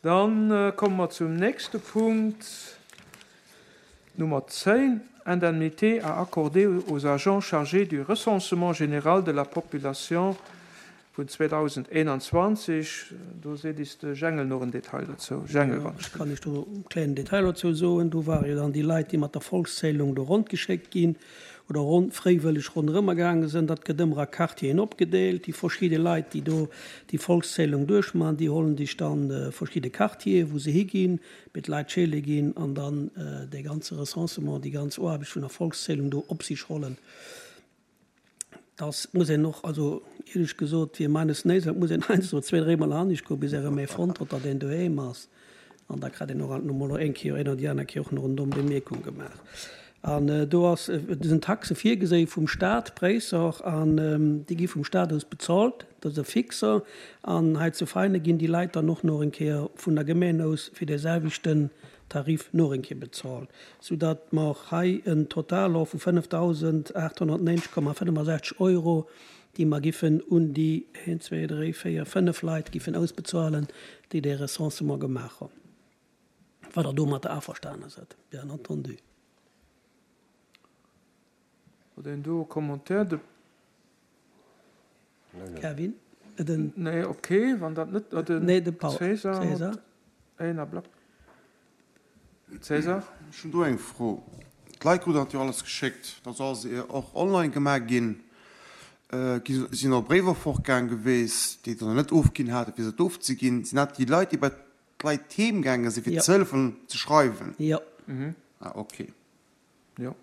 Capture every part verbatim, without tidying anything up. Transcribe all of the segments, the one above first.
Dann komme mer zum nächste Punkt, Nummer zéng, Indemnité à accorder aux agents chargés du recensement général de la population vun zweedausendeenanzwanzeg. Do seet is de Jengel nach en Detail dozou. Jengel, wann Ech kann iech do e klengen Detail dozou soen. Do ware jo dann déi Leit, déi mat der Volkszählung do rondgeschéckt ginn oder ronn, fréiwëlleg ronderëmmer gaange sinn. Dat gëtt ëmmer a Quartieren opgedeelt. Déi verschidde Leit, déi do déi Volkszählung duerchmachen, déi hollen sech dann verschidde Quartieren, wou se higinn, mit Leit scheele ginn an dann dee ganze Recensement, déi ganz Aarbecht vun der Volkszählung do op sich hollen. Dass muss een och, also éierlech gesot, fir meines Néis, et muss een heiansdo zwee, dréimol anescht goen, bis ee erëm ee fonnt huet, datt een doheem ass. An da kritt een och alt no mol eng Kéier, een oder déi aner Kéier och nach en domm Bemierkung gemaach. An do ass, do sinn Taxe virgeséi vum Stat, Bréisser, an déi gi vum Stat aus bezahlt, dat ass e Fixer. An hei zu Veinen ginn déi Leit dann och nach eng Kéier vun der Gemeng aus fir dee selwechten Tarif nach eng Kéier bezahlt, soudatt mer hei en Total hu vu fënnefdausendaathonnertneunzeg Komma fënnefensechzeg Euro, déi mer giffen un déi een, zwee, dréi, véier, fënnef Leit giffen ausbezuelen, déi dee Recensement gemaach hunn. Wa Der domatter averstane sidd, bien entendu. Huet een do e Commentaire? De Kevin? Den. Nee, okay, wann dat net. Den Nee, de Paul. César huet César. een Ablack. César? Ech hunn do eng Fro. D'Leit kruten dat jo alles geschéckt, dat ass alles och online gemaach ginn. Gi sinn och Bréiwer fortgaang geweest, déi et net ofginn haten, fir se et ofzeginn. Sinn dat déi Leit, déi bei d'Leit heem gaange sinn, fir Jo. ze hëllefen ze schreiwen? Jo. Ah, okay. Jo.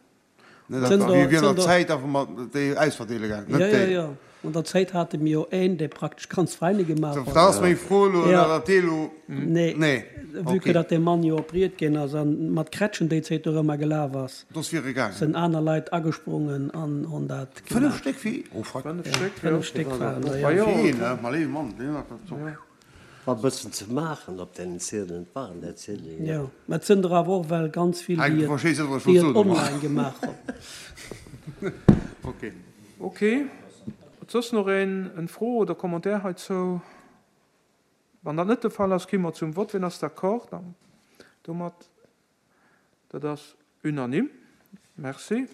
Net Sënn einfach der, wéi an sënn der der. Zäit einfach mat déi ausverdeele gaangen, Ja, net ja, déi. ja. An der Zäit hate mir jo een, dee praktesch ganz Veine gemaach Dat huet. ass meng Fro elo, Ja. dat dee elo. Nee, Nee, vue que okay. datt dee Mann jo op Ried ginn ass an mat Krätschen déi Zäit dorëmmer gelaf ass, Dat ass fir gaangen. sënn aner Leit agesprongen an hunn dat Fënnef gemaach. Stéck fir? Oh fuck. Fënnef Ja, Stéck, jo. fënnef Stéck waren der, Ah ja. jo. Fir een, ne? Ma léiwe Mann, deen hat dat Ja. War e bëssen ze maachen op deenen Ziedelen, et waren der Ziedelen, jo. Jo, mä et sënn der awer och well ganz vill, Hei, déi du et, verstees net, wat ech déi wollt et soen domat. online gemaach hunn. Okay. Okay. Huet soss nach een en Fro oder Commentaire heizou? Wann dat net de Fall ass, gi mer zum Vott. Wien ass d'accord domat? Dat ass unanime. Merci.